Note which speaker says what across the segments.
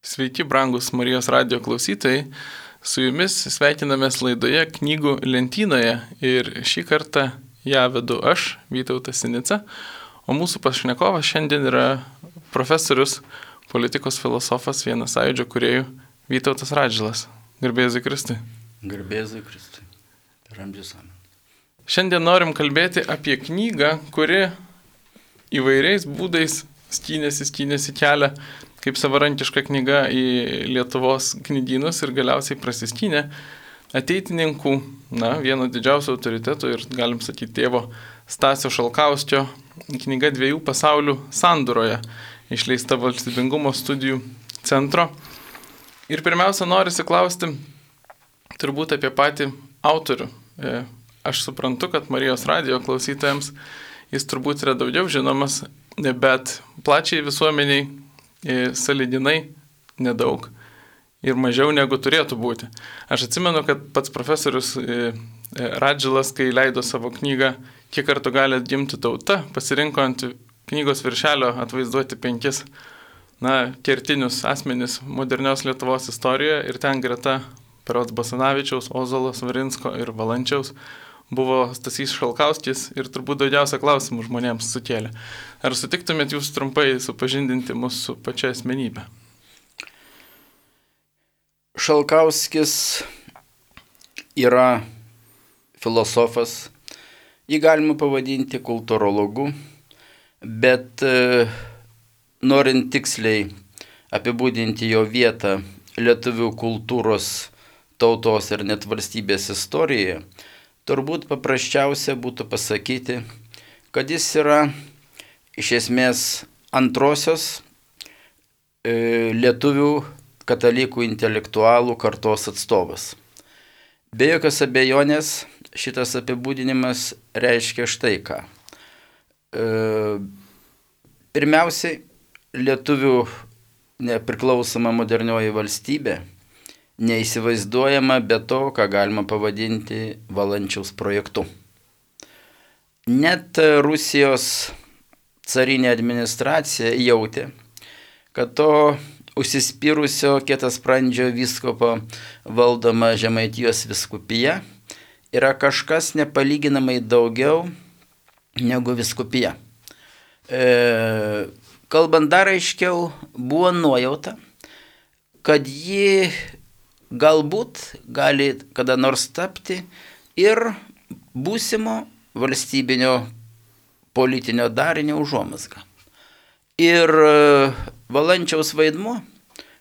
Speaker 1: Sveiki, brangus Marijos radio klausytojai. Su jumis sveikinamės laidoje Knygų lentynoje ir šį kartą ją vedu aš, Vytautas Sinica, o mūsų pašnekovas šiandien yra profesorius, politikos filosofas, vienas Sąjūdžio kūrėjų Vytautas Radžvilas. Garbėzui Kristui.
Speaker 2: Garbėzui Kristui. Per amžius amen.
Speaker 1: Šiandien norim kalbėti apie knygą, kuri įvairiais būdais skynėsi kelią kaip savarankiška knyga į Lietuvos knygynus ir galiausiai prasiskynė ateitininkų, vieno didžiausių autoritetų ir, galim sakyti, tėvo Stasio Šalkauskio knyga Dviejų pasaulių sandūroje, išleista Valstybingumo studijų centro. Ir pirmiausia, norisi klausti turbūt apie patį autorių. Aš suprantu, kad Marijos radio klausytojams jis turbūt yra daugiau žinomas, bet plačiai visuomeniai sąlyginai nedaug ir mažiau negu turėtų būti. Aš atsimenu, kad pats profesorius Radžvilas, kai leido savo knygą Kiek kartų gali atgimti tauta, pasirinko ant knygos viršelio atvaizduoti 5 kertinius asmenis modernios Lietuvos istorijoje ir ten greta berods Basanavičiaus, Ozolo, Svarinsko ir Valančiaus buvo Stasys Šalkauskis ir turbūt daugiausia klausimų žmonėms sukėlė. Ar sutiktumėt jūs trumpai supažindinti mus su pačia asmenybė?
Speaker 2: Šalkauskis yra filosofas, jį galima pavadinti kultūrologu, bet norint tiksliai apibūdinti jo vietą lietuvių kultūros, tautos ir net valstybės istorijoje, turbūt paprasčiausia būtų pasakyti, kad jis yra iš esmės antrosios lietuvių katalikų intelektualų kartos atstovas. Be jokios abejonės šitas apibūdinimas reiškia štai ką. Pirmiausiai, lietuvių nepriklausoma modernioji valstybė neįsivaizduojama be to, ką galima pavadinti Valančiaus projektu. Net Rusijos carinė administracija jautė, kad to užsispyrusio kietasprandžio vyskupo valdoma Žemaitijos vyskupija yra kažkas nepalyginamai daugiau negu vyskupija. Kalbant dar aiškiau, buvo nuojauta, kad ji galbūt gali kada nors tapti ir būsimo valstybinio politinio darinio užuomazga. Ir Valančiaus vaidmuo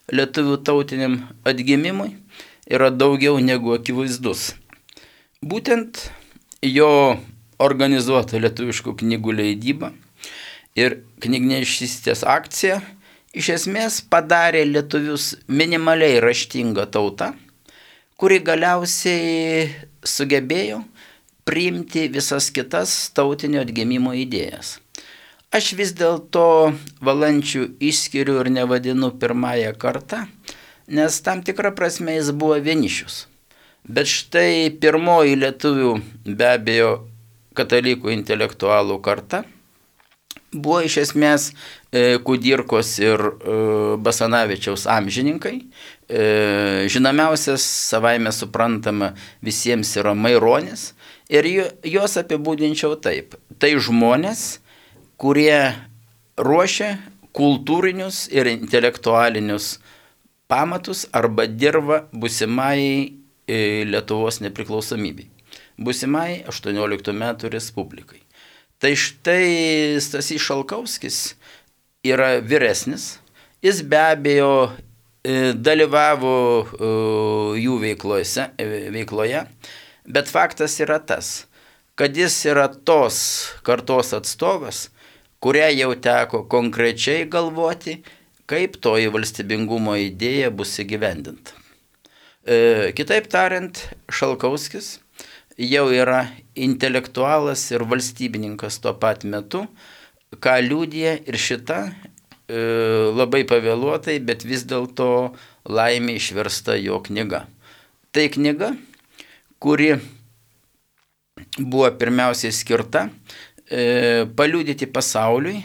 Speaker 2: lietuvių tautiniam atgimimui yra daugiau negu akivaizdus. Būtent jo organizuota lietuviškų knygų leidyba ir knygnešystės akcija iš esmės padarė lietuvius minimaliai raštinga tauta, kuri galiausiai sugebėjo priimti visas kitas tautinio atgimimo idėjas. Aš vis dėlto Valančių išskiriu ir nevadinu pirmąją kartą, nes tam tikrą prasme jis buvo vienišius. Bet štai pirmoji lietuvių, be abejo, katalikų intelektualų karta buvo iš esmės Kudirkos ir Basanavičiaus amžininkai. Žinomiausias savaime suprantama visiems yra Maironis ir juos apibūdinčiau taip. Tai žmonės, kurie ruošia kultūrinius ir intelektualinius pamatus arba dirba būsimai Lietuvos nepriklausomybei, būsimai 18 metų Respublikai. Tai štai Stasys Šalkauskis yra vyresnis, jis be abejo dalyvavo jų veikloje, bet faktas yra tas, kad jis yra tos kartos atstovas, kurią jau teko konkrečiai galvoti, kaip toji valstybingumo idėja bus įgyvendinta. Kitaip tariant, Šalkauskis jau yra intelektualas ir valstybininkas tuo pat metu, ką liudija ir šita labai pavėluotai, bet vis dėlto laimė išversta jo knyga. Tai knyga, kuri buvo pirmiausiai skirta paliudyti pasauliui,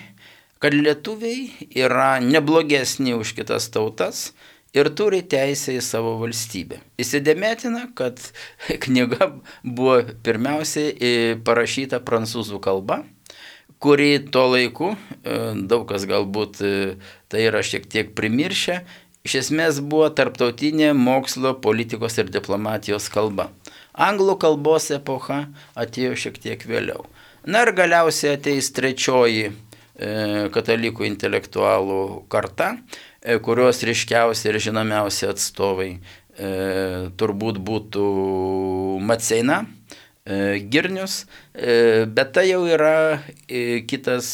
Speaker 2: kad lietuviai yra neblogesni už kitas tautas ir turi teisę į savo valstybę. Įsidėmėtina, kad knyga buvo pirmiausiai parašyta prancūzų kalba, kuri tuo laiku, daug kas galbūt tai yra šiek tiek primiršę, iš esmės buvo tarptautinė mokslo, politikos ir diplomatijos kalba. Anglų kalbos epocha atėjo šiek tiek vėliau. Na ir galiausiai ateis trečioji katalikų intelektualų karta, kurios ryškiausi ir žinomiausi atstovai turbūt būtų Maceina, Girnius, bet tai jau yra kitas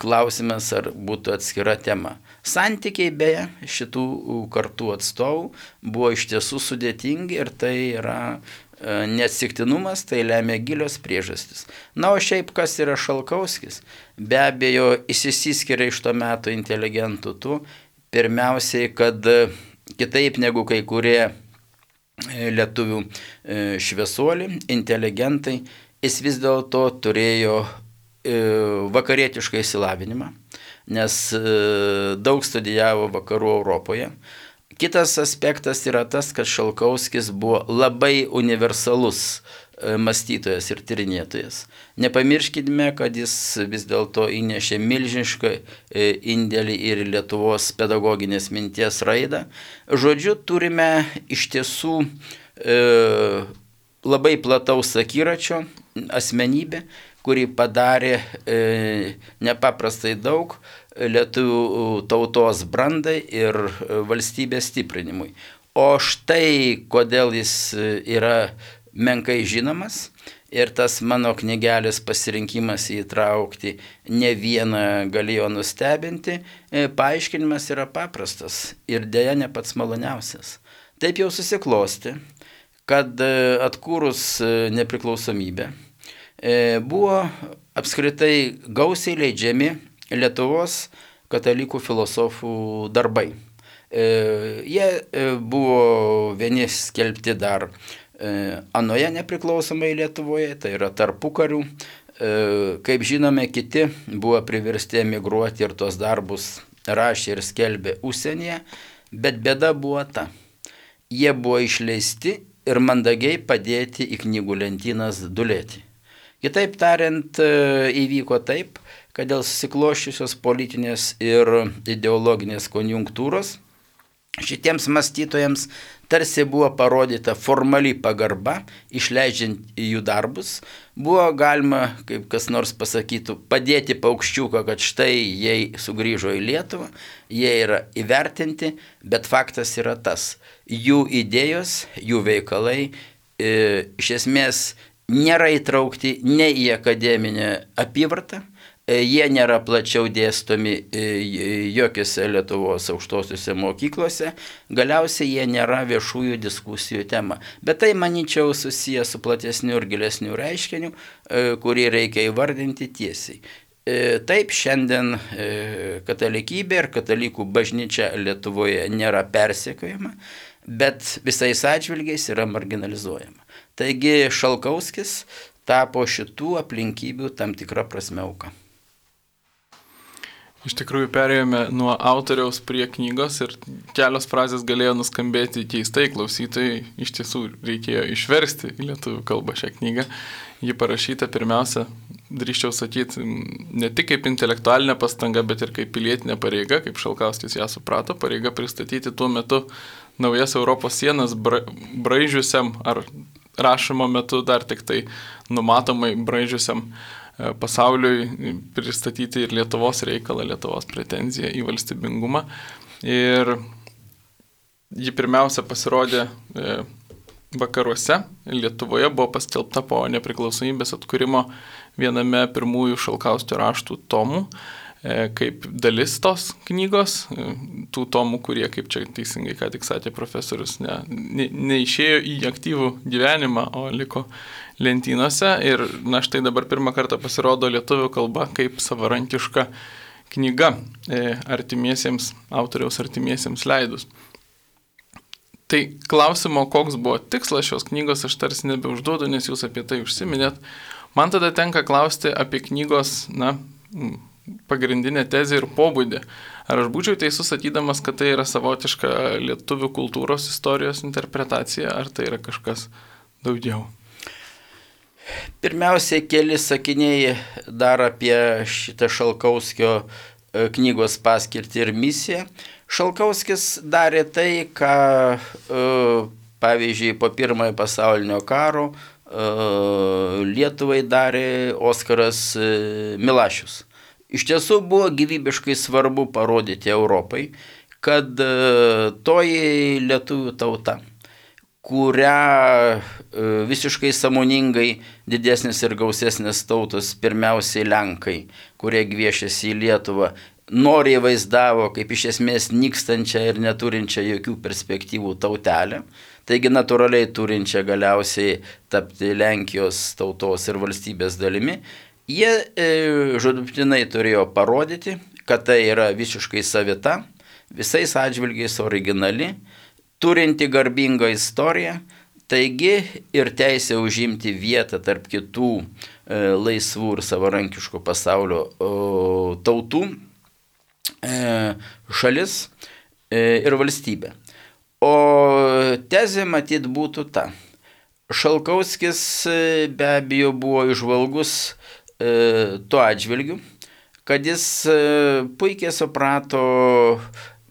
Speaker 2: klausimas, ar būtų atskira tema. Santykiai beje šitų kartų atstovų buvo iš tiesų sudėtingi ir tai yra neatsitiktinumas, tai lemia gilios priežastis. Na, o šiaip kas yra Šalkauskis? Be abejo, išsiskiria iš to meto inteligentų tų, pirmiausiai, kad kitaip negu kai kurie lietuvių šviesuoliai, inteligentai, jis vis dėlto turėjo vakarietišką išsilavinimą, nes daug studijavo vakarų Europoje. Kitas aspektas yra tas, kad Šalkauskis buvo labai universalus mąstytojas ir tyrinėtojas. Nepamirškime, kad jis vis dėlto įnešė milžinišką indėlį ir Lietuvos pedagoginės minties raidą. Žodžiu, turime iš tiesų labai plataus akiračio asmenybę, kuri padarė nepaprastai daug lietuvių tautos brandai ir valstybės stiprinimui. O štai kodėl jis yra menkai žinomas ir tas mano knygelės pasirinkimas įtraukti ne vieną galėjo nustebinti, paaiškinimas yra paprastas ir dėja ne pats maloniausias. Taip jau susiklosti, kad atkūrus nepriklausomybę buvo apskritai gausiai leidžiami Lietuvos katalikų filosofų darbai. Jie buvo vieni skelbti dar anoje nepriklausomai Lietuvoje, tai yra tarpukarių. Kaip žinome, kiti buvo priversti emigruoti ir tos darbus rašė ir skelbė užsienyje, bet bėda buvo ta. Jie buvo išleisti ir mandagiai padėti į knygų lentynas dulėti. Kitaip tariant, įvyko taip, kad dėl susikloščiusios politinės ir ideologinės konjunktūros šitiems mąstytojams tarsi buvo parodyta formali pagarba, išleidžiant jų darbus. Buvo galima, kaip kas nors pasakytų, padėti paukščiuką, kad štai jie sugrįžo į Lietuvą, jie yra įvertinti, bet faktas yra tas. Jų idėjos, jų veikalai iš esmės nėra įtraukti ne į akademinę apyvartą, jie nėra plačiau dėstomi jokiose Lietuvos aukštosiuose mokyklose, galiausiai jie nėra viešųjų diskusijų tema. Bet tai, manyčiau, susiję su platesniu ir gilesniu reiškiniu, kurį reikia įvardinti tiesiai. Taip, šiandien katalikybė ir katalikų bažnyčia Lietuvoje nėra persekiojama, bet visais atžvilgiais yra marginalizuojama. Taigi Šalkauskis tapo šitų aplinkybių tam tikrą prasme auka.
Speaker 1: Iš tikrųjų perėjome nuo autoriaus prie knygos ir kelios frazės galėjo nuskambėti keistai klausytojai. Iš tiesų reikėjo išversti į lietuvių kalbą šią knygą. Ji parašyta pirmiausia, drįsčiau sakyti, ne tik kaip intelektualinė pastanga, bet ir kaip pilietinė pareiga, kaip Šalkauskis ją suprato, pareiga pristatyti tuo metu naujas Europos sienas braižiusiam ar rašymo metu dar tik tai numatomai braižiusiam pasauliui pristatyti ir Lietuvos reikalą, Lietuvos pretenziją į valstybingumą. Ir ji pirmiausia pasirodė vakaruose. Lietuvoje buvo paskelbta po nepriklausomybės atkūrimo viename pirmųjų Šalkauskio raštų tomų, kaip dalis tos knygos, tų tomų, kurie, kaip čia teisingai ką tik sakė profesorius, neišėjo į aktyvų gyvenimą, o liko lentynose. Ir na štai dabar pirmą kartą pasirodo lietuvių kalba kaip savarankiška knyga autoriaus artimiesiems leidus. Tai klausimo, koks buvo tikslas šios knygos, aš tarsi nebeužduodu, nes jūs apie tai užsiminėt. Man tada tenka klausti apie knygos, pagrindinę tezę ir pobūdį. Ar aš būčiau teisus sakydamas, kad tai yra savotiška lietuvių kultūros istorijos interpretacija, ar tai yra kažkas daugiau?
Speaker 2: Pirmiausia, keli sakiniai dar apie šitą Šalkauskio knygos paskirtį ir misiją. Šalkauskis darė tai, ką, pavyzdžiui, po Pirmojo pasaulinio karo Lietuvai darė Oskaras Milašius. Iš tiesų buvo gyvybiškai svarbu parodyti Europai, kad toji lietuvių tauta, kurią visiškai sąmoningai didesnis ir gausesnis tautos, pirmiausiai Lenkai, kurie gviešėsi į Lietuvą, noriai vaizdavo kaip iš esmės nykstančią ir neturinčią jokių perspektyvų tautelę, taigi natūraliai turinčią galiausiai tapti Lenkijos tautos ir valstybės dalimi, jie žūtbūtinai turėjo parodyti, kad tai yra visiškai savita, visais atžvilgiais originali, turinti garbingą istoriją, taigi ir teisė užimti vietą tarp kitų laisvų ir savarankiškų pasaulio tautų, šalis ir valstybė. O tezė matyt būtų ta. Šalkauskis be abejo buvo įžvalgus tuo atžvilgiu, kad jis puikiai suprato,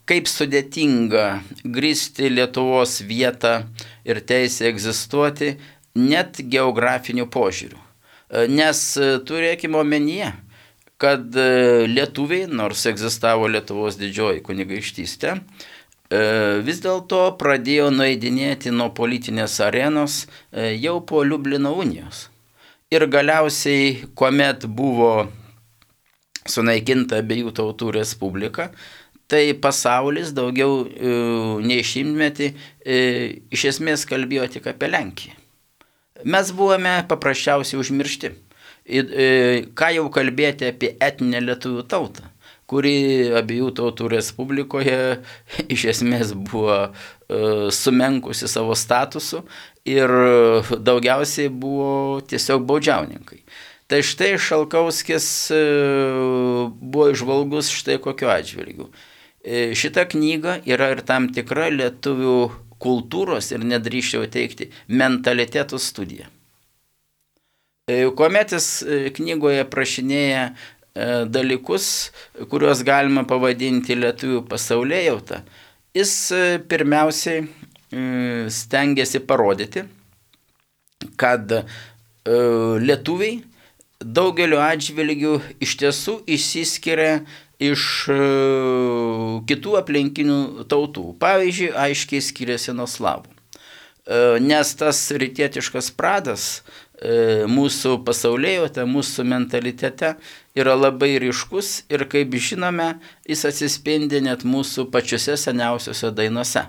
Speaker 2: kaip sudėtinga grįsti Lietuvos vietą ir teisę egzistuoti net geografiniu požiūriu. Nes turėkime omenyje, kad lietuviai, nors egzistavo Lietuvos didžioji kunigaikštystė, vis dėlto pradėjo nueidinėti nuo politinės arenos jau po Liublino unijos. Ir galiausiai, kuomet buvo sunaikinta abiejų tautų respublika, tai pasaulis daugiau nei šimtmetį iš esmės kalbėjo tik apie Lenkiją. Mes buvome paprasčiausiai užmiršti. Ką jau kalbėti apie etninę lietuvių tautą, kuri abiejų tautų respublikoje iš esmės buvo sumenkusi savo statusu ir daugiausiai buvo tiesiog baudžiauninkai. Tai štai Šalkauskis buvo įžvalgus štai kokiu atžvilgiu. Šita knyga yra ir tam tikra lietuvių kultūros ir nedrįsčiau teikti mentalitetų studija. Kuomet jis knygoje prašinėja dalykus, kuriuos galima pavadinti lietuvių pasaulėjautą, jis pirmiausiai stengiasi parodyti, kad lietuviai daugeliu atžvilgių iš tiesų išsiskiria iš kitų aplinkinių tautų. Pavyzdžiui, aiškiai skiriasi nuo slavų. Nes tas rytietiškas pradas mūsų pasaulėjote, mūsų mentalitete yra labai ryškus ir, kaip žinome, jis atsispindi net mūsų pačiuose seniausiuose dainuose.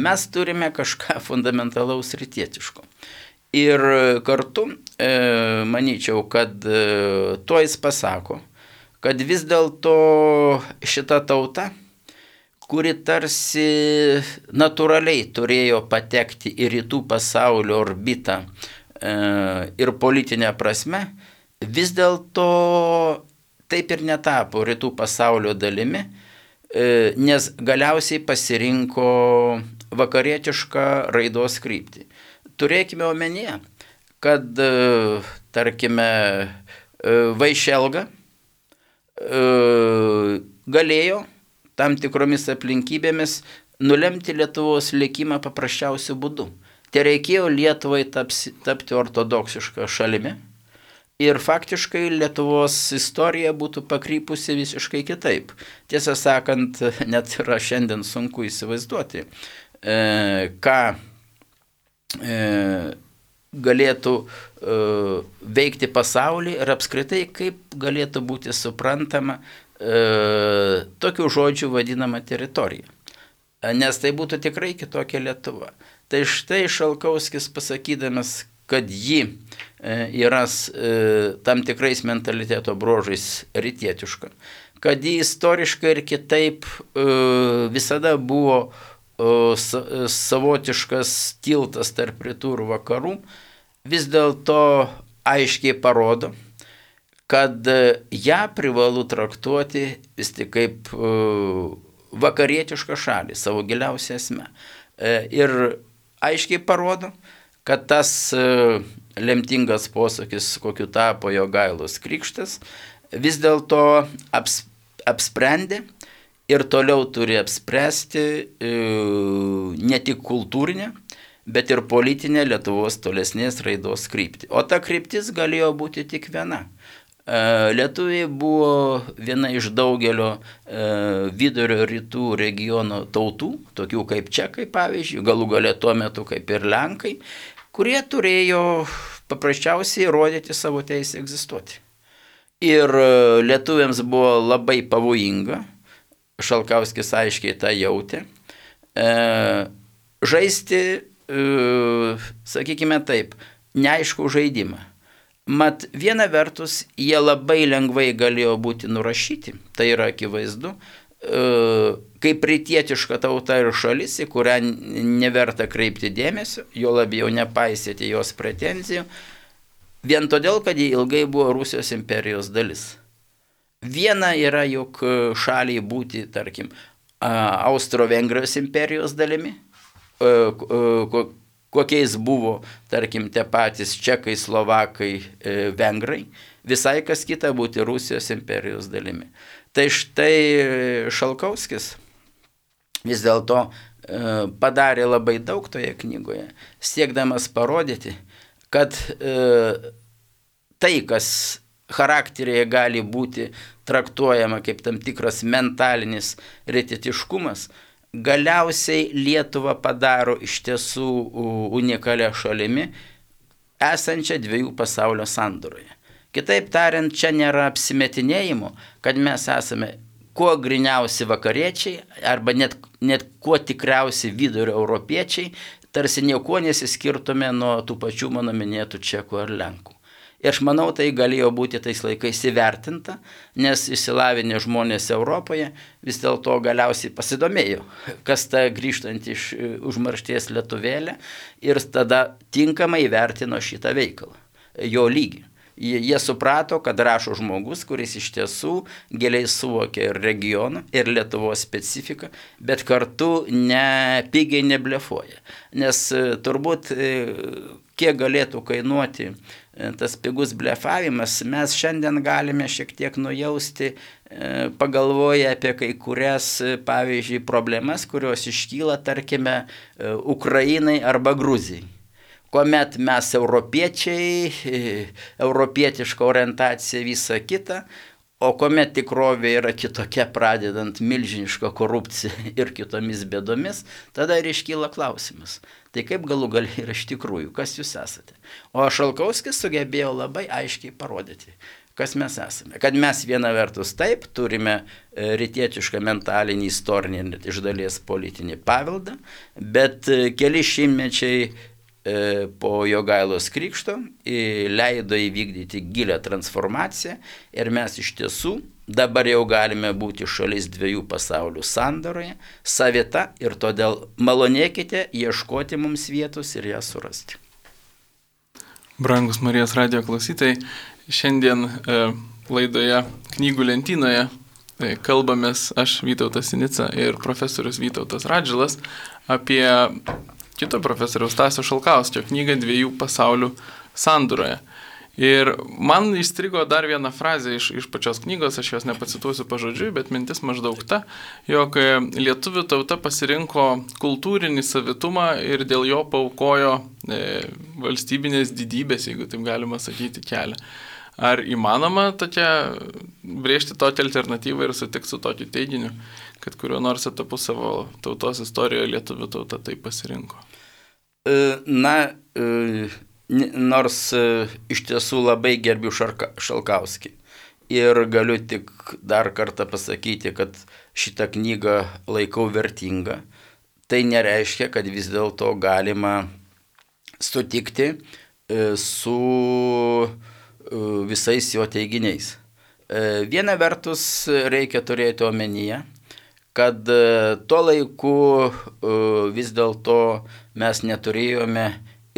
Speaker 2: Mes turime kažką fundamentalaus rytietiško. Ir kartu, manyčiau, kad tuo jis pasako, kad vis dėlto šita tauta, kuri tarsi natūraliai turėjo patekti į rytų pasaulio orbitą ir politinę prasme, vis dėlto taip ir netapo rytų pasaulio dalimi, nes galiausiai pasirinko vakarietišką raidos kryptį. Turėkime omenyje, kad, tarkime, Vaišelga galėjo tam tikromis aplinkybėmis nulemti Lietuvos likimą paprasčiausiu būdu. Tai reikėjo Lietuvai tapti ortodoksišką šalimi ir faktiškai Lietuvos istorija būtų pakrypusi visiškai kitaip. Tiesą sakant, net yra šiandien sunku įsivaizduoti, ką galėtų veikti pasaulį ir apskritai kaip galėtų būti suprantama tokių žodžių vadinama teritorija. Nes tai būtų tikrai kitokia Lietuva. Tai štai Šalkauskis pasakydamas, kad ji yra tam tikrais mentaliteto bruožais rytietiška, kad ji istoriškai ir kitaip visada buvo savotiškas tiltas tarp rytų ir vakarų, vis dėlto aiškiai parodo, kad ją privalu traktuoti vis tik kaip vakarietišką šalį savo giliausią esmę. Ir aiškiai parodo, kad tas lemtingas posūkis, kokiu tapo Jogailos krikštas, vis dėlto apsprendė ir toliau turi apspręsti ne tik kultūrinę, bet ir politinę Lietuvos tolesnės raidos kryptį. O ta kryptis galėjo būti tik viena. Lietuviai buvo viena iš daugelio vidurio rytų regiono tautų, tokių kaip čekai, pavyzdžiui, galų gale tuo metu kaip ir lenkai, kurie turėjo paprasčiausiai rodyti savo teisę egzistuoti. Ir lietuviams buvo labai pavojinga, Šalkauskis aiškiai tą jautė, žaisti, sakykime taip, neaišku žaidimą. Mat viena vertus jie labai lengvai galėjo būti nurašyti, tai yra akivaizdu, kaip rytietiška tauta ir šalis, į kurią neverta kreipti dėmesio, jo labiau nepaisyti jos pretenzijų, vien todėl, kad jie ilgai buvo Rusijos imperijos dalis. Viena yra juk šaliai būti, tarkim, Austro-Vengrijos imperijos dalimi, kokiais buvo, tarkim, tie patys čekai, slovakai, vengrai, visai kas kita būti Rusijos imperijos dalimi. Tai štai Šalkauskis vis dėlto padarė labai daug toje knygoje, siekdamas parodyti, kad tai, kas charakteryje gali būti traktuojama kaip tam tikras mentalinis rytietiškumas, galiausiai Lietuvą padaro iš tiesų unikalia šalimi, esančią dviejų pasaulio sandūroje. Kitaip tariant, čia nėra apsimetinėjimo, kad mes esame kuo griniausi vakariečiai, arba net kuo tikriausi vidurio europiečiai, tarsi niekuo nesiskirtume nuo tų pačių mano minėtų čekų ar lenkų. Ir aš manau, tai galėjo būti tais laikais įvertinta, nes išsilavinę žmonės Europoje vis dėlto galiausiai pasidomėjo, kas ta grįžtant iš užmaršties lietuvėlė, ir tada tinkamai įvertino šitą veikalą, jo lygį. Jie suprato, kad rašo žmogus, kuris iš tiesų giliai suvokia ir regioną, ir Lietuvos specifiką, bet kartu pigiai neblefuoja. Nes turbūt kiek galėtų kainuoti tas pigus blefavimas, mes šiandien galime šiek tiek nujausti, pagalvoję apie kai kurias, pavyzdžiui, problemas, kurios iškyla, tarkime, Ukrainai arba Gruzijai. Kuomet mes europiečiai, europietiška orientacija visa kita, o kuomet tikrovė yra kitokia, pradedant milžinišką korupciją ir kitomis bėdomis, tada ir iškyla klausimas. Tai kaip galų gale yra iš tikrųjų, kas jūs esate? O Šalkauskis sugebėjo labai aiškiai parodyti, kas mes esame. Kad mes viena vertus taip turime rytietišką mentalinį, istorinį ir iš dalies politinį paveldą, bet keli šimtmečiai po Jogailos krikšto leido įvykdyti gilią transformaciją ir mes iš tiesų dabar jau galime būti šalis dviejų pasaulių sandoroje, savita, ir todėl malonėkite ieškoti mums vietos ir ją surasti.
Speaker 1: Brangus Marijos radijo klausytojai, šiandien laidoje Knygų lentynoje kalbamės aš, Vytautas Sinica, ir profesorius Vytautas Radžilas apie kito profesoriaus Stasio Šalkauskio knygą Dviejų pasaulių sandūroje. Ir man įstrigo dar viena frazė iš pačios knygos, aš jos nepacituosiu pažodžiui, bet mintis maždaug ta, jog lietuvių tauta pasirinko kultūrinį savitumą ir dėl jo paaukojo valstybinės didybės, jeigu taip galima sakyti, kelią. Ar įmanoma brėžti tokią alternatyvą ir sutikti su tokiu teiginiu, kad kuriuo nors etapu savo tautos istorijoje lietuvių tauta taip pasirinko?
Speaker 2: Nors iš tiesų labai gerbiu Šalkauskį ir galiu tik dar kartą pasakyti, kad šitą knygą laikau vertingą, tai nereiškia, kad vis dėlto galima sutikti su visais jo teiginiais. Viena vertus reikia turėti omenyje, kad tuo laiku vis dėlto mes neturėjome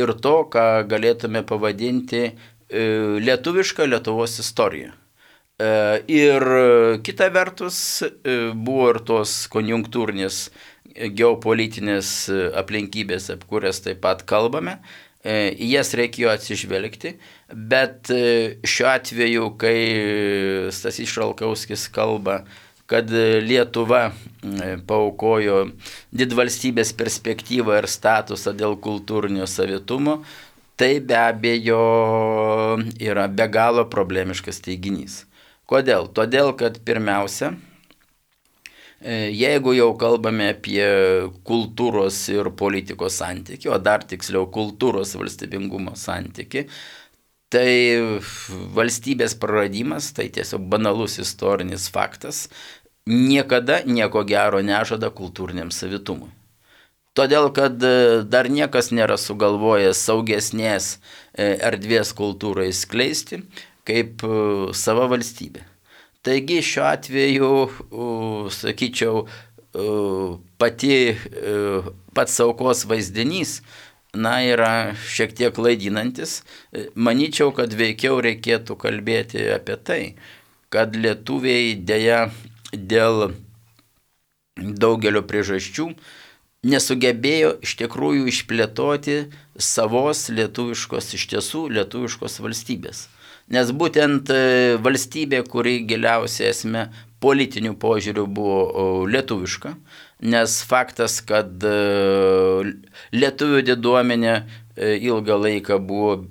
Speaker 2: ir to, ką galėtume pavadinti lietuvišką Lietuvos istoriją. Ir kita vertus buvo ir tos konjunktūrinės geopolitinės aplinkybės, apie kurias taip pat kalbame. Į jas reikėjo atsižvelgti, bet šiuo atveju, kai Stasys Šalkauskis kalba, kad Lietuva paaukojo didvalstybės perspektyvą ir statusą dėl kultūrinio savitumo, tai be abejo yra be galo problemiškas teiginys. Kodėl? Todėl, kad pirmiausia, jeigu jau kalbame apie kultūros ir politikos santykį, o dar tiksliau kultūros valstybingumo santykį, tai valstybės praradimas, tai tiesiog banalus istorinis faktas, niekada nieko gero nežada kultūriniam savitumui. Todėl, kad dar niekas nėra sugalvojęs saugesnės erdvės kultūrai skleisti, kaip sava valstybė. Taigi šiuo atveju, sakyčiau, pats aukos vaizdinys, yra šiek tiek klaidinantis. Manyčiau, kad veikiau reikėtų kalbėti apie tai, kad lietuviai dėja dėl daugelio priežasčių nesugebėjo iš tikrųjų išplėtoti savos lietuviškos, iš tiesų lietuviškos valstybės. Nes būtent valstybė, kuri giliausia esmė politinių požiūrių buvo lietuviška, nes faktas, kad lietuvių diduomenė ilgą laiką buvo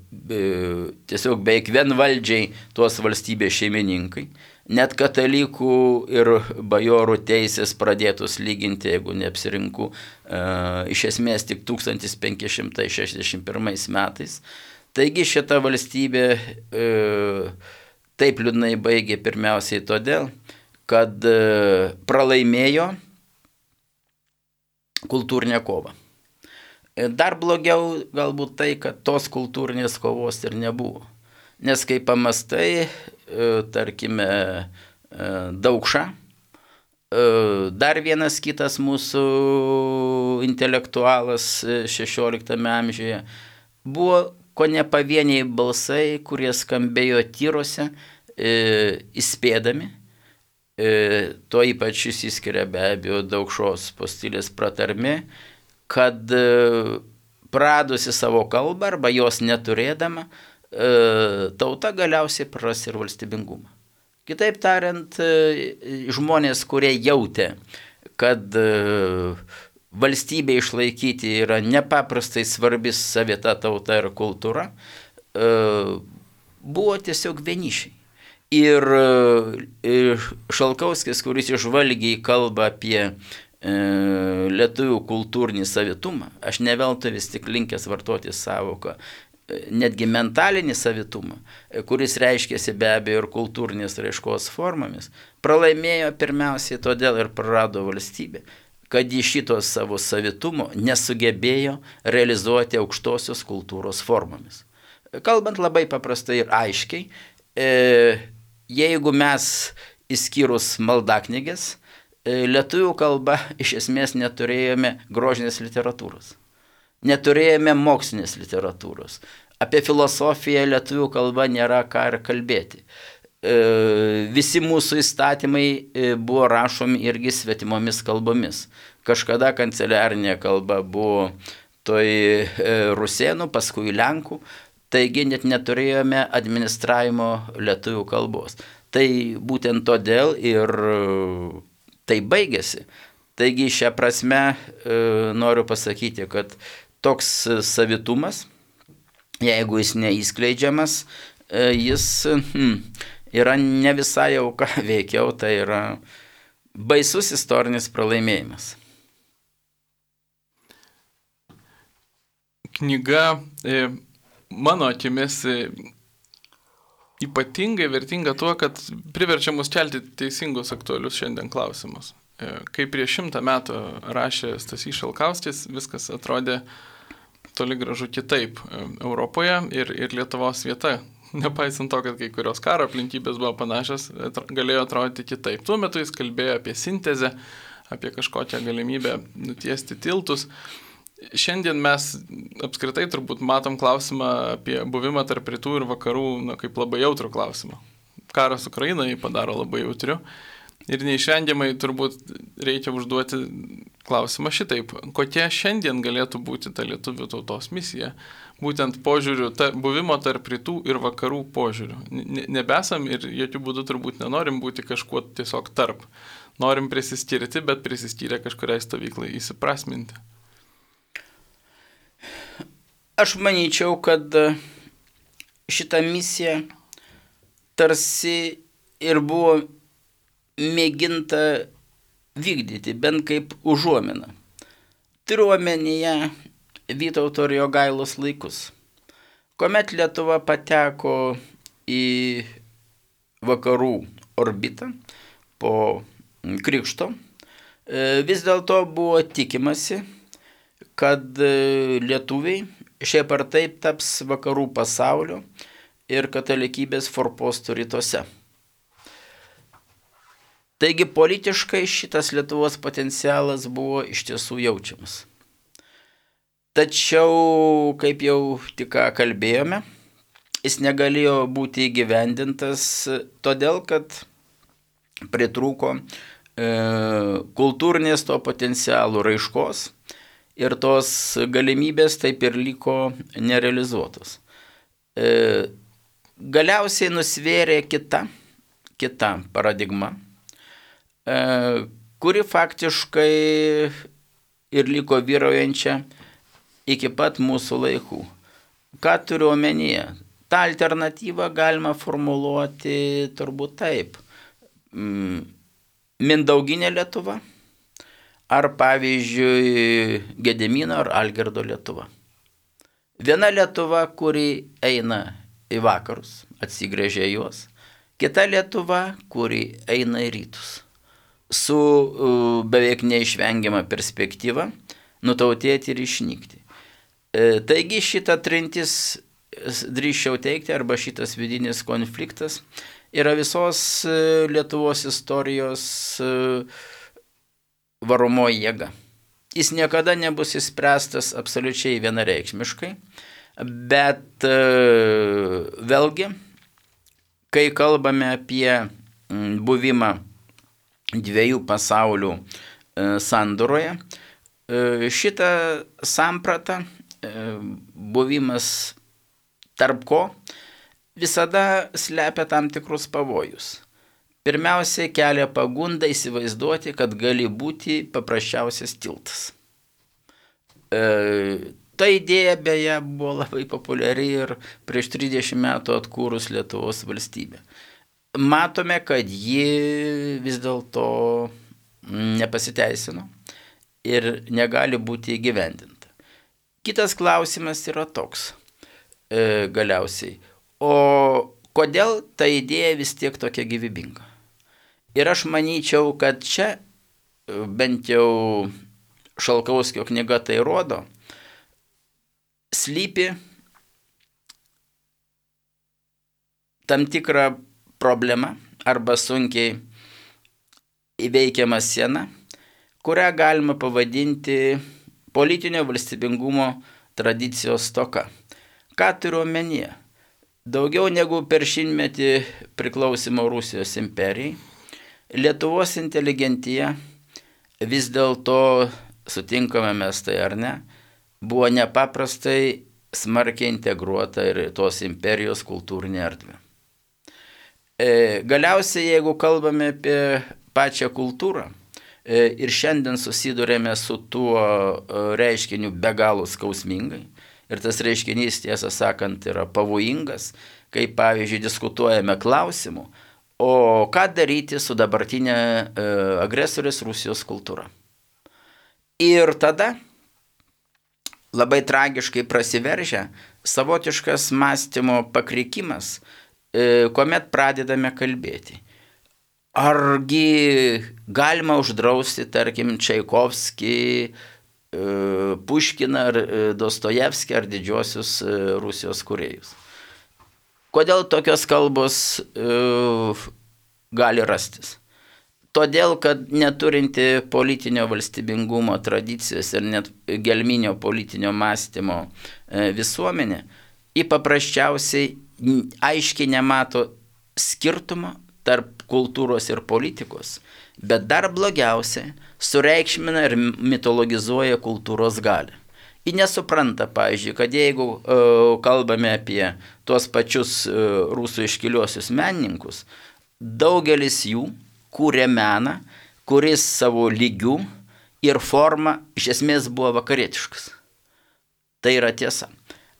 Speaker 2: tiesiog beveik vienvaldžiai tos valstybės šeimininkai, net katalikų ir bajorų teisės pradėtos lyginti, jeigu neapsirinku, iš esmės tik 1561 metais. Taigi šita valstybė taip liūdnai baigė pirmiausiai todėl, kad pralaimėjo kultūrinę kovą. Dar blogiau galbūt tai, kad tos kultūrinės kovos ir nebuvo. Nes kai pamastai, tarkime, Daukša, dar vienas kitas mūsų intelektualas 16 amžiuje, buvo ko ne pavieniai balsai, kurie skambėjo tyrose, įspėdami. To ypač išsiskiria be abejo Daukšos postilės pratarmė, kad pradusi savo kalbą arba jos neturėdama, tauta galiausiai praras ir valstybingumą. Kitaip tariant, žmonės, kurie jautė, kad valstybė išlaikyti yra nepaprastai svarbi savita tauta ir kultūra, buvo tiesiog vienišiai. Ir Šalkauskis, kuris išvalgiai kalba apie lietuvių kultūrinį savitumą, aš ne veltui vis tik linkęs vartoti sąvoką, netgi mentalinį savitumą, kuris reiškėsi be abejo ir kultūrinės raiškos formomis, pralaimėjo pirmiausiai todėl ir prarado valstybę, kad į šitos savo savitumo nesugebėjo realizuoti aukštosios kultūros formomis. Kalbant labai paprastai ir aiškiai, jeigu mes išskyrus maldaknygės, lietuvių kalba iš esmės neturėjome grožinės literatūros, neturėjome mokslinės literatūros. Apie filosofiją lietuvių kalba nėra ką ir kalbėti. Visi mūsų įstatymai buvo rašomi irgi svetimomis kalbomis. Kažkada kanceliarinė kalba buvo toj rusėnų, paskui lenkų, taigi net neturėjome administravimo lietuvių kalbos. Tai būtent todėl ir tai baigėsi. Taigi šią prasme noriu pasakyti, kad toks savitumas, jeigu jis neįskleidžiamas, jis yra ne visai auka, veikiau tai yra baisus istorinis pralaimėjimas.
Speaker 1: Knyga mano akimis ypatingai vertinga tuo, kad priverčia mus kelti teisingus aktualius šiandien klausimus. Kai prieš 100 metų rašė Stasys Šalkauskis, viskas atrodė toli gražu kitaip Europoje ir Lietuvos vieta, nepaisant to, kad kai kurios karo aplinkybės buvo panašios, galėjo atrodyti kitaip. Tuo metu jis kalbėjo apie sintezę, apie kažkokią galimybę nutiesti tiltus. Šiandien mes apskritai turbūt matom klausimą apie buvimą tarp rytų ir vakarų kaip labai jautrų klausimą. karas Ukrainoje padaro labai jautriu. Ir neišvengiamai turbūt reikia užduoti klausimą šitaip. Kokia šiandien galėtų būti ta lietuvių tautos misija? Būtent požiūrių, buvimo tarp rytų ir vakarų požiūrių. Nebesam ir jokių būdų turbūt nenorim būti kažkuo tiesiog tarp. Norim prisiskirti, bet prisiskyrę kažkuriai stovyklai įsiprasminti.
Speaker 2: Aš manyčiau, kad šitą misiją tarsi ir buvo mėginta vykdyti, bent kaip užuomina. Turiu omenyje Vytauto ir Jogailos laikus, kuomet Lietuva pateko į vakarų orbitą po krikšto. Vis dėlto buvo tikimasi, kad lietuviai šiaip ar taip taps vakarų pasaulio ir katalikybės forpostų rytuose. Taigi politiškai šitas Lietuvos potencialas buvo iš tiesų jaučiamas. Tačiau, kaip jau tik kalbėjome, jis negalėjo būti įgyvendintas todėl, kad pritrūko kultūrinės to potencialų raiškos ir tos galimybės taip ir liko nerealizuotos. Galiausiai nusvėrė kita paradigma, kuri faktiškai ir liko vyraujančia iki pat mūsų laikų. Ką turiu omenyje? Ta alternatyva galima formuluoti turbūt taip. Mindauginė Lietuva ar pavyzdžiui Gedimino ar Algirdo Lietuva. Viena Lietuva, kuri eina į vakarus, atsigręžia juos. Kita Lietuva, kuri eina į rytus. Su beveik neišvengiama perspektyva nutautėti ir išnykti. Taigi šita trintis, drįsčiau teikti, arba šitas vidinis konfliktas yra visos Lietuvos istorijos varomoji jėga. Jis niekada nebus išspręstas absoliučiai vienareikšmiškai, bet vėlgi, kai kalbame apie buvimą dviejų pasaulių sandoroje, šitą sampratą, buvimas tarp ko, visada slepia tam tikrus pavojus. Pirmiausia, kelia pagundą įsivaizduoti, kad gali būti paprasčiausias tiltas. Ta idėja beje buvo labai populiari ir prieš 30 metų atkūrus Lietuvos valstybę. Matome, kad ji vis dėlto nepasiteisino ir negali būti įgyvendinta. Kitas klausimas yra toks galiausiai. O kodėl ta idėja vis tiek tokia gyvybinga? Ir aš manyčiau, kad čia, bent jau Šalkauskio knyga tai rodo, slypi tam tikra problema arba sunkiai įveikiama siena, kurią galima pavadinti politinio valstybingumo tradicijos stoka. Ką turiu omenyje? Daugiau negu per šimtmetį priklausimo Rusijos imperijai, Lietuvos inteligentija vis dėlto, sutinkame mes tai ar ne, buvo nepaprastai smarkiai integruota ir tos imperijos kultūrinė erdvė. Galiausiai, jeigu kalbame apie pačią kultūrą ir šiandien susidurėme su tuo reiškiniu be galo skausmingai, ir tas reiškinys, tiesą sakant, yra pavojingas, kai, pavyzdžiui, diskutuojame klausimu, o ką daryti su dabartinė agresorės Rusijos kultūra. Ir tada labai tragiškai prasiveržia savotiškas mąstymo pakrikimas, kuomet pradedame kalbėti. Argi galima uždrausti, tarkim, Čaikovskį, Puškiną ar Dostojevskį ar didžiosius Rusijos kūrėjus. Kodėl tokios kalbos gali rastis? Todėl, kad neturinti politinio valstybingumo tradicijos ir net gelminio politinio mąstymo visuomenė, ji paprasčiausiai aiškiai nemato skirtumo tarp kultūros ir politikos, bet dar blogiausia, sureikšmina ir mitologizuoja kultūros galią. Ji nesupranta, pavyzdžiui, kad jeigu kalbame apie tuos pačius rusų iškiliuosius menininkus, daugelis jų kūrė meną, kuris savo lygių ir forma iš esmės buvo vakarietiškas. Tai yra tiesa.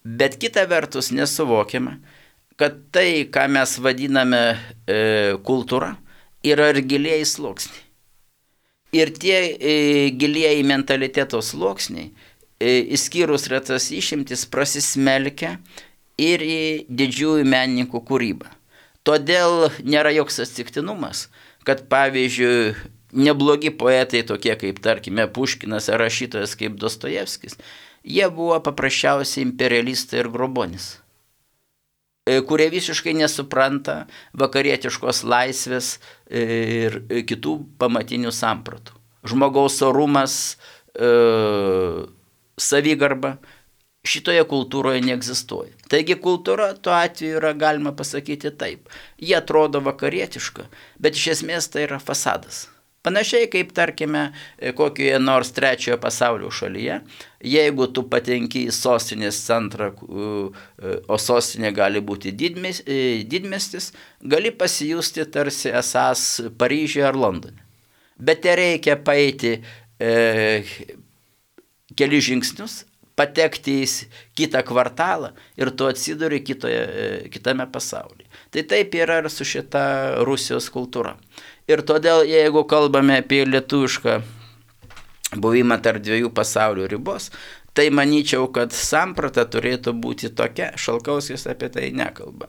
Speaker 2: Bet kita vertus nesuvokiama, kad tai, ką mes vadiname kultūra, yra ir gilieji sluoksniai. Ir tie gilieji mentaliteto sluoksniai, išskyrus retas išimtis, prasismelkia ir į didžiųjų menininkų kūrybą. Todėl nėra joks atsitiktinumas, kad pavyzdžiui, neblogi poetai tokie kaip, tarkime, Puškinas ar rašytojas kaip Dostojevskis, jie buvo paprasčiausiai imperialistai ir grobonis, kurie visiškai nesupranta vakarietiškos laisvės ir kitų pamatinių sampratų. Žmogaus orumas, savigarba šitoje kultūroje neegzistuoja. Taigi kultūra tuo atveju yra, galima pasakyti taip. Jie atrodo vakarietiška, bet iš esmės tai yra fasadas. Panašiai kaip, tarkime, kokioje nors trečiojo pasaulio šalyje, jeigu tu patenki į sostinės centrą, o sostinė gali būti didmiestis, gali pasijusti tarsi esąs Paryžiuje ar Londone. Bet te reikia paeiti keli žingsnius, patekti į kitą kvartalą ir tu atsiduri kitame pasaulyje. Tai taip yra ir su šita Rusijos kultūra. Ir todėl, jeigu kalbame apie lietuvišką buvimą tarp dviejų pasaulių ribos, tai manyčiau, kad samprata turėtų būti tokia, Šalkauskis apie tai nekalba.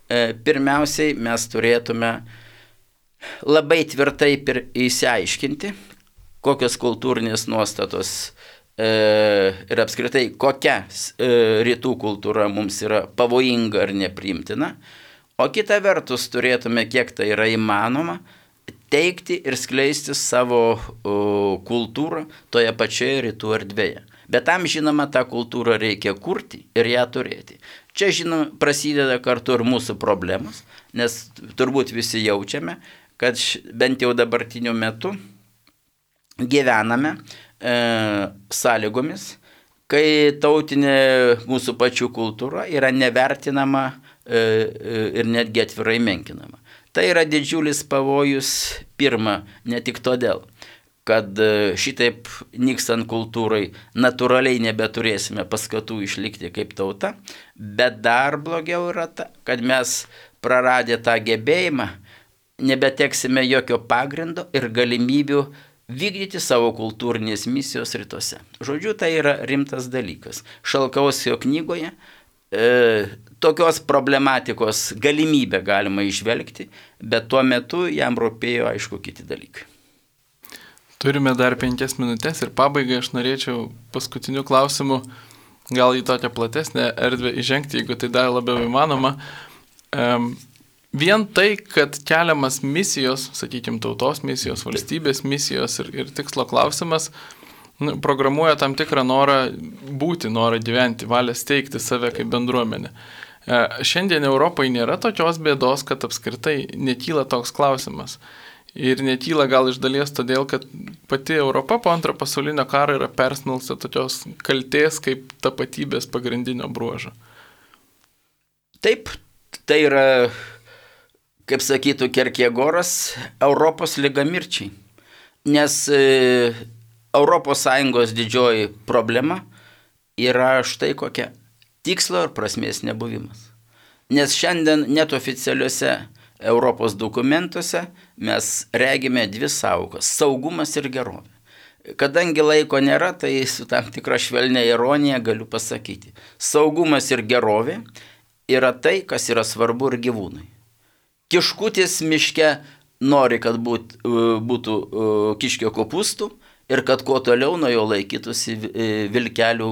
Speaker 2: Pirmiausiai mes turėtume labai tvirtai išsiaiškinti, kokios kultūrinės nuostatos ir apskritai kokia rytų kultūra mums yra pavojinga ar nepriimtina, o kita vertus turėtume, kiek tai yra įmanoma, teikti ir skleisti savo kultūrą toje pačioje rytų erdvėje. Bet tam, žinoma, tą kultūrą reikia kurti ir ją turėti. Čia, žinoma, prasideda kartu ir mūsų problemos, nes turbūt visi jaučiame, kad bent jau dabartiniu metu gyvename sąlygomis, kai tautinė mūsų pačių kultūra yra nevertinama ir netgi atvirai menkinama. Tai yra didžiulis pavojus, pirma, ne tik todėl, kad šitaip nykstant kultūrai natūraliai nebeturėsime paskatų išlikti kaip tauta, bet dar blogiau yra ta, kad mes praradę tą gebėjimą nebeteksime jokio pagrindo ir galimybių vykdyti savo kultūrinės misijos rytuose. Žodžiu, tai yra rimtas dalykas. Šalkauskio knygoje tokios problematikos galimybę galima išvelgti, bet tuo metu jam rūpėjo, aišku, kiti dalykai.
Speaker 1: Turime dar 5 minutės ir pabaigai aš norėčiau paskutiniu klausimu gal į tokią platesnę erdvę įžengti, jeigu tai dar labiau įmanoma. Vien tai, kad keliamas misijos, sakykime, tautos misijos, valstybės misijos ir tikslo klausimas, programuoja tam tikrą norą būti, norą gyventi, valią steigti save kaip bendruomenę. Šiandien Europai nėra tokios bėdos, kad apskritai nekyla toks klausimas. Ir nekyla gal iš dalies todėl, kad pati Europa po Antrojo pasaulinio karo yra persmelkta tokios kaltės kaip tapatybės pagrindinio bruožo.
Speaker 2: Taip, tai yra, kaip sakytų Kierkegoras, Europos liga mirčiai. Nes ES didžioji problema yra štai kokia – tikslo ir prasmės nebuvimas. Nes šiandien net oficialiuose Europos dokumentuose mes regime dvi sąvokas – saugumas ir gerovė. Kadangi laiko nėra, tai su tam tikra švelnia ironija galiu pasakyti. Saugumas ir gerovė yra tai, kas yra svarbu ir gyvūnui. Kiškutis miške nori, kad būtų kiškio kopūstų, ir kad kuo toliau nuo jo laikytųsi vilkelių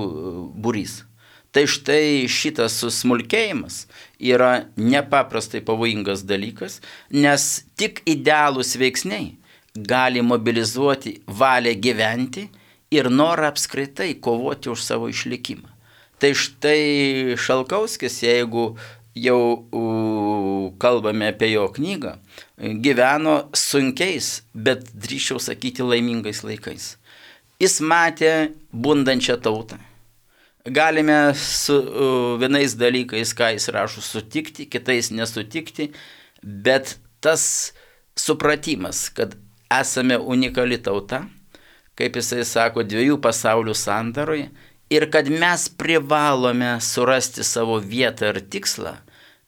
Speaker 2: būrys. Tai štai šitas susmulkėjimas yra nepaprastai pavojingas dalykas, nes tik idealūs veiksniai gali mobilizuoti valią gyventi ir norą apskritai kovoti už savo išlikimą. Tai štai Šalkauskis, jeigu jau kalbame apie jo knygą, gyveno sunkiais, bet drįsčiau sakyti laimingais laikais. Jis matė bundančią tautą. Galime su vienais dalykais, ką jis rašo, sutikti, kitais nesutikti, bet tas supratimas, kad esame unikali tauta, kaip jisai sako, 2 pasaulių sandaroje, ir kad mes privalome surasti savo vietą ir tikslą,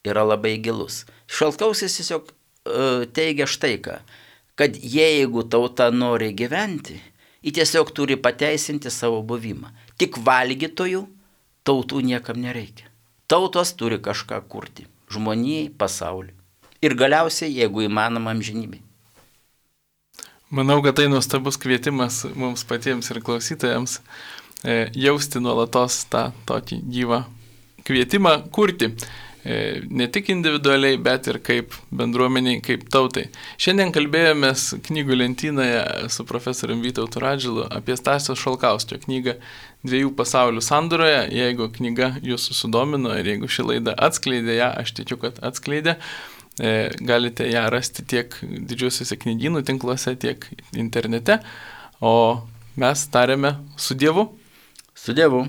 Speaker 2: yra labai gilus. Šaltkauskis tiesiog teigia štai ką, kad jeigu tauta nori gyventi, ji tiesiog turi pateisinti savo buvimą. Tik valgytojų tautų niekam nereikia. Tautos turi kažką kurti. Žmonijai, pasauliui. Ir galiausiai, jeigu įmanoma, amžinybei.
Speaker 1: Manau, kad tai nuostabus kvietimas mums patiems ir klausytojams jausti nuolatos tą tokį gyvą kvietimą kurti. Ne tik individualiai, bet ir kaip bendruomeniai, kaip tautai. Šiandien kalbėjomės knygų lentynoje su profesoriumi Vytautu Radžilu apie Stasio Šalkauskio knygą 2 pasaulių sandūroje. Jeigu knyga jūsų sudomino ir jeigu ši laida atskleidė ją, aš tikiu, kad atskleidė, galite ją rasti tiek didžiuosiuose knygynų tinkluose, tiek internete. O mes tariame su Dievu.
Speaker 2: Su Dievu.